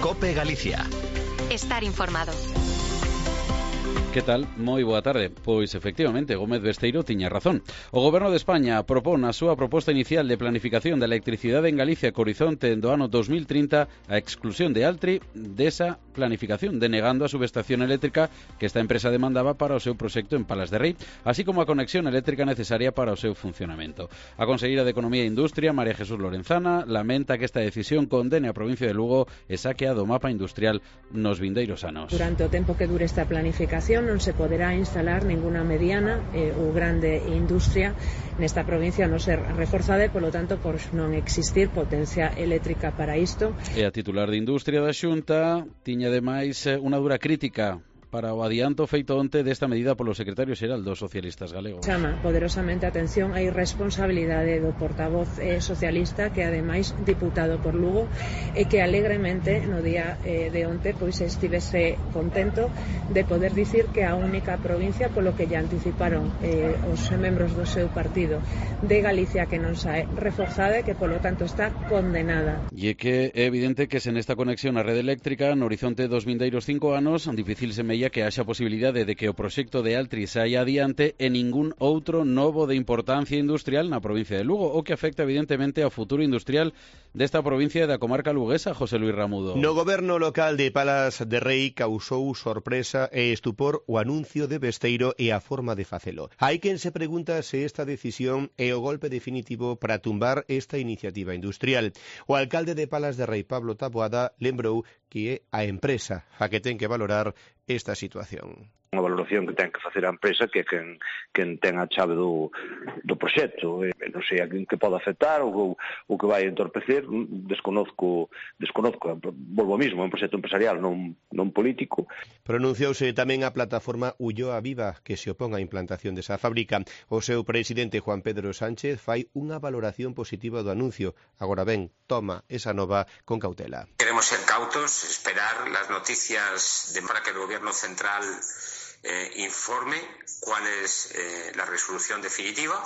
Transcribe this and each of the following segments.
COPE Galicia. Estar informado. Que tal? Moi boa tarde. Pois, efectivamente, Gómez Besteiro tiña razón. O Goberno de España propón a súa proposta inicial de planificación da electricidade en Galicia co horizonte do ano 2030 a exclusión de Altri desa planificación, denegando a subestación eléctrica que esta empresa demandaba para o seu proxecto en Palas de Rei, así como a conexión eléctrica necesaria para o seu funcionamento. A conselleira de Economía e Industria, María Jesús Lorenzana, lamenta que esta decisión condene a provincia de Lugo e saquea do mapa industrial nos vindeiros anos. Durante o tempo que dure esta planificación non se poderá instalar ninguna mediana ou grande industria nesta provincia a non ser reforzada e, polo tanto, por non existir potencia eléctrica para isto. E a titular de Industria da Xunta tiña ademais unha dura crítica para o adianto feito onte desta medida polo secretario xeral dos socialistas galegos. Chama poderosamente a atención a irresponsabilidade do portavoz socialista, que ademais diputado por Lugo, e que alegremente no día de onte pois estivese contento de poder dicir que a única provincia, polo que lle anticiparon os membros do seu partido de Galicia, que non sae reforzada e que polo tanto está condenada. E que é evidente que sen esta conexión á rede eléctrica no horizonte dos vindeiros 5 anos difícil se que haxa posibilidade de que o proxecto de Altri saia adiante e ningún outro novo de importancia industrial na provincia de Lugo, o que afecta evidentemente ao futuro industrial desta provincia e da comarca luguesa, José Luis Ramudo. No goberno local de Palas de Rei causou sorpresa e estupor o anuncio de Besteiro e a forma de facelo. Hai quen se pregunta se esta decisión é o golpe definitivo para tumbar esta iniciativa industrial. O alcalde de Palas de Rei, Pablo Taboada, lembrou que é a empresa a que ten que valorar esta situación. Unha valoración que ten que facer a empresa, que é quen ten a chave do proxecto. Non sei a quen que pode afectar ou que vai entorpecer, desconozco. Volvo ao mismo, é un proxecto empresarial, non político. Pronunciouse tamén a plataforma Ulloa Viva, que se opón á implantación desa fábrica. O seu presidente, Juan Pedro Sánchez, fai unha valoración positiva do anuncio. Agora ben, toma esa nova con cautela. Queremos ser cautos, esperar las noticias para que el gobierno central informe cuál es la resolución definitiva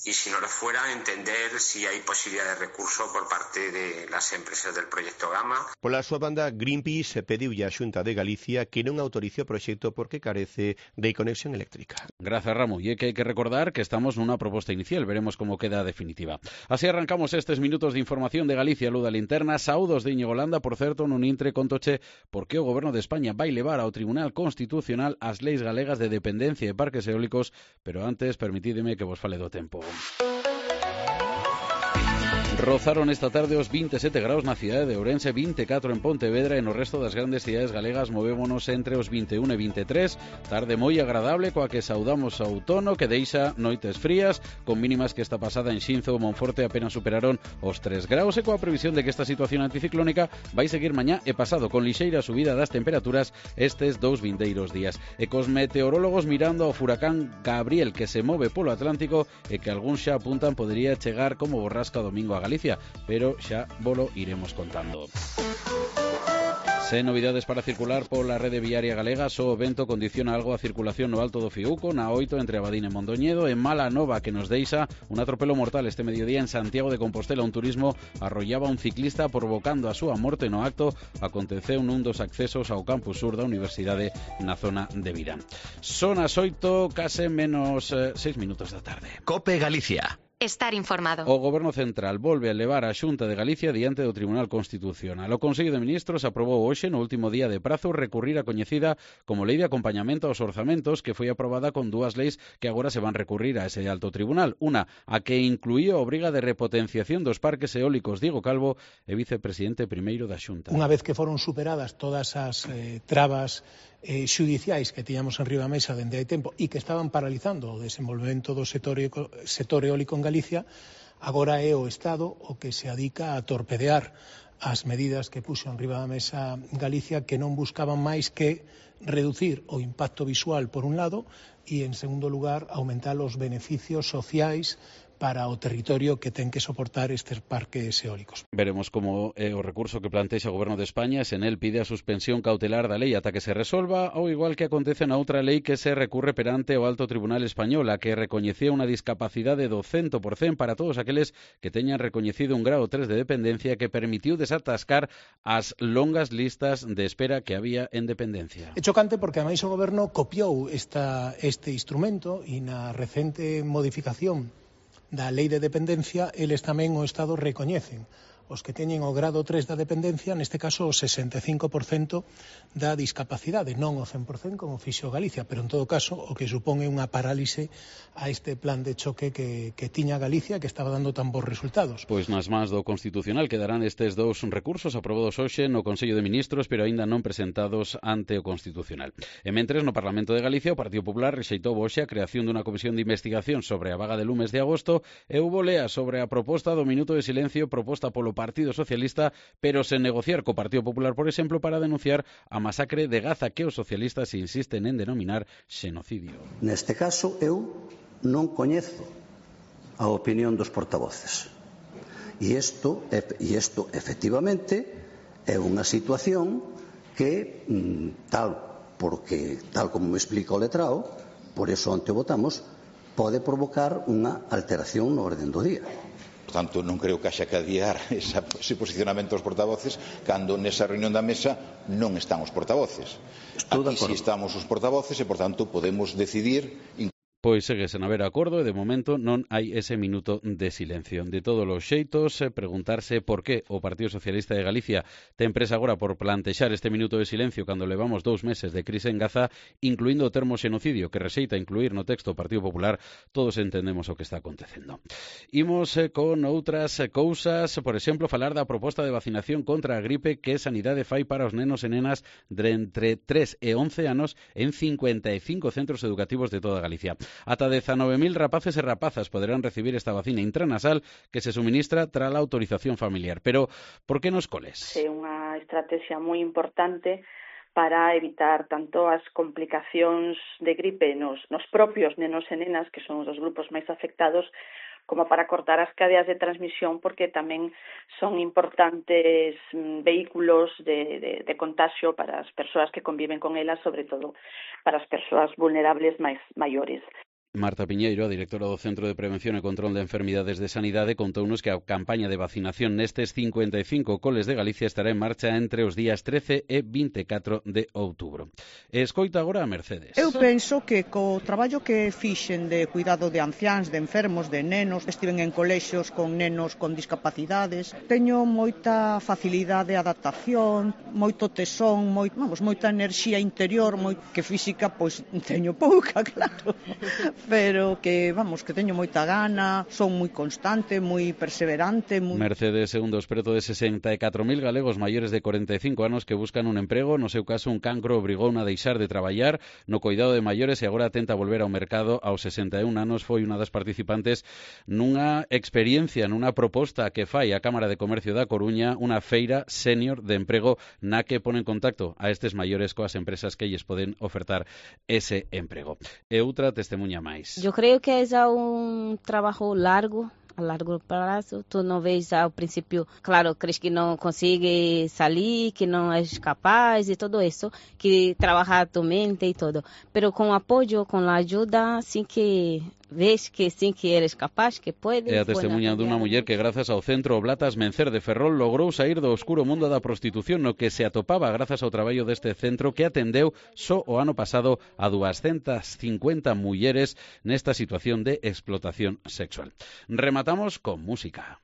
y, si no lo fuera, entender si hay posibilidad de recurso por parte de las empresas del proyecto Gama. Pola súa banda, Greenpeace pediulle á Xunta de Galicia que non autorice o proxecto porque carece de conexión eléctrica. Grazas, Ramo. E que hai que recordar que estamos nunha proposta inicial, veremos como queda a definitiva. Así arrancamos estes minutos de información de Galicia, Luda Linterna. Saúdos de Íñigo Landa, por certo, nun intre contoche porque o Goberno de España vai levar ao Tribunal Constitucional as leis galegas de dependencia de parques eólicos, pero antes permitídeme que vos fale do tempo. Rozaron esta tarde os 27 graus na cidade de Ourense, 24 en Pontevedra e no resto das grandes cidades galegas movémonos entre os 21 e 23. Tarde moi agradable coa que saudamos o outono, que deixa noites frías, con mínimas que esta pasada en Xinzo ou Monforte apenas superaron os 3 graus e coa previsión de que esta situación anticiclónica vai seguir mañá e pasado con lixeira subida das temperaturas estes dous vindeiros días. E cos meteorólogos mirando ao furacán Gabriel, que se move polo Atlántico e que algúns xa apuntan podería chegar como borrasca domingo a Galicia, pero xa volo iremos contando. Sen novidades para circular pola rede viaria galega, só o vento condiciona algo a circulación no Alto do Fiuco, na 8 entre Abadín e Mondoñedo, e mala nova que nos deixa un atropelo mortal este mediodía en Santiago de Compostela. Un turismo arrollaba un ciclista provocando a súa morte no acto. Aconteceu nun dos accesos ao campus sur da Universidade na zona de Virán. Son as 8, case menos 6 minutos da tarde. COPE Galicia. Estar informado. O Goberno Central volve a levar a Xunta de Galicia diante do Tribunal Constitucional. O Consello de Ministros aprobou hoxe, no último día de prazo, recurrir a coñecida como Lei de Acompañamento aos Orzamentos, que foi aprobada con dúas leis que agora se van recurrir a ese alto tribunal. Una, a que incluía a obriga de repotenciación dos parques eólicos. Diego Calvo é vicepresidente primeiro da Xunta. Unha vez que foron superadas todas as trabas xudiciais que tiñamos en riba da mesa dende hai tempo e que estaban paralizando o desenvolvemento do sector eólico en Galicia, agora é o Estado o que se adica a torpedear as medidas que puxo en riba da mesa Galicia, que non buscaban máis que reducir o impacto visual por un lado e, en segundo lugar, aumentar os beneficios sociais para o territorio que ten que soportar estes parques eólicos. Veremos como o recurso que plantexa o Goberno de España se nel pide a suspensión cautelar da lei ata que se resolva, ou igual que acontece na outra lei que se recurre perante o Alto Tribunal Español, a que recoñecía unha discapacidade do 100% para todos aqueles que teñan recoñecido un grado 3 de dependencia, que permitiu desatascar as longas listas de espera que había en dependencia. É chocante porque ademais o Goberno copiou este instrumento e na recente modificación da lei de dependencia, eles tamén o Estado recoñecen os que teñen o grado 3 da dependencia, neste caso o 65% da discapacidade, non o 100% como fixo Galicia, pero en todo caso o que supón é unha parálise a este plan de choque que tiña Galicia, que estaba dando tan bons resultados. Pois nas mans do Constitucional quedarán estes dous recursos aprobados hoxe no Consello de Ministros, pero aínda non presentados ante o Constitucional. E mentres, no Parlamento de Galicia, o Partido Popular rexeitou hoxe a creación dunha comisión de investigación sobre a vaga de lumes de agosto e houbo lea sobre a proposta do minuto de silencio proposta polo Partido Socialista, pero sen negociar co Partido Popular, por exemplo, para denunciar a masacre de Gaza que os socialistas insisten en denominar xenocidio. Neste caso, eu non coñezo a opinión dos portavoces. E isto, efectivamente, é unha situación que, tal como me explica o letrado, por eso onte votamos, pode provocar unha alteración no orden do día. Por tanto, non creo que haxa que adiar ese posicionamento dos portavoces cando nesa reunión da mesa non están os portavoces. Aquí si estamos os portavoces e, por tanto, podemos decidir. Pois segue sen haber acordo e de momento non hai ese minuto de silencio. De todos os xeitos, preguntarse por que o Partido Socialista de Galicia ten presa agora por plantexar este minuto de silencio cando levamos 2 meses de crise en Gaza, incluindo o termo xenocidio que rexeita incluir no texto o Partido Popular. Todos entendemos o que está acontecendo. Imos con outras cousas, por exemplo, falar da proposta de vacinación contra a gripe que Sanidade fai para os nenos e nenas de entre 3 e 11 anos en 55 centros educativos de toda Galicia. Ata 19.000 rapaces e rapazas poderán recibir esta vacina intranasal que se suministra tras a autorización familiar. Pero, por que nos coles? É unha estrategia moi importante para evitar tanto as complicacións de gripe nos propios nenos e nenas, que son os grupos máis afectados, como para cortar as cadeas de transmisión, porque tamén son importantes vehículos de contagio para as persoas que conviven con elas, sobre todo para as persoas vulnerables máis maiores. Marta Piñeiro, a directora do Centro de Prevención e Control de Enfermidades de Sanidade, contounos que a campaña de vacinación nestes 55 coles de Galicia estará en marcha entre os días 13 e 24 de outubro. E escoita agora a Mercedes. Eu penso que co traballo que fixen de cuidado de anciáns, de enfermos, de nenos, estiven en colexios con nenos con discapacidades, teño moita facilidade de adaptación, moito tesón, moita enerxía interior, que física pois teño pouca, claro. Pero que teño moita gana, son moi constante, moi perseverante. Mercedes é un dos preto de 64.000 galegos maiores de 45 anos que buscan un emprego. No seu caso, un cancro obrigou a deixar de traballar no coidado de maiores e agora tenta volver ao mercado. Aos 61 anos foi unha das participantes nunha experiencia, nunha proposta que fai a Cámara de Comercio da Coruña, unha feira senior de emprego na que pone en contacto a estes maiores coas empresas que lles poden ofertar ese emprego. E outra testemunha máis. Eu creio que é um trabalho largo, a largo prazo. Tu não vês ao princípio, claro, crees que não consegue sair, que não és capaz e tudo isso, que trabalhar tu mente e tudo. Pero com apoio, com a ajuda, assim que ves que sim que eres capaz, que podes. É a testemunha dunha muller que grazas ao Centro Oblatas Mencer de Ferrol logrou sair do oscuro mundo da prostitución no que se atopaba grazas ao traballo deste centro que atendeu só o ano pasado a 250 mulleres nesta situación de explotación sexual. Rematamos con música.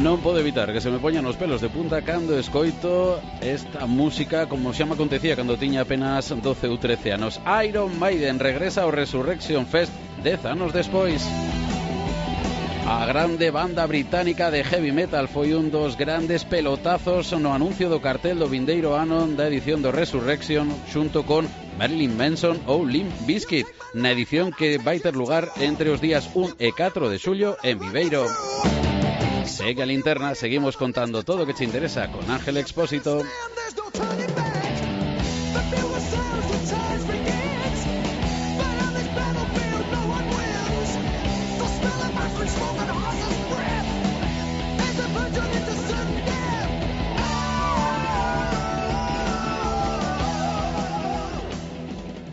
Non podo evitar que se me poñan os pelos de punta cando escoito esta música, como xa me acontecía cando tiña apenas 12 ou 13 anos. Iron Maiden regresa ao Resurrection Fest 10 anos despois. A grande banda británica de heavy metal foi un dos grandes pelotazos no anuncio do cartel do vindeiro ano da edición do Resurrection xunto con Marilyn Manson ou Limp Bizkit, na edición que vai ter lugar entre os días 1 e 4 de xullo en Viveiro. Segue a Linterna, seguimos contando todo lo que te interesa con Ángel Expósito.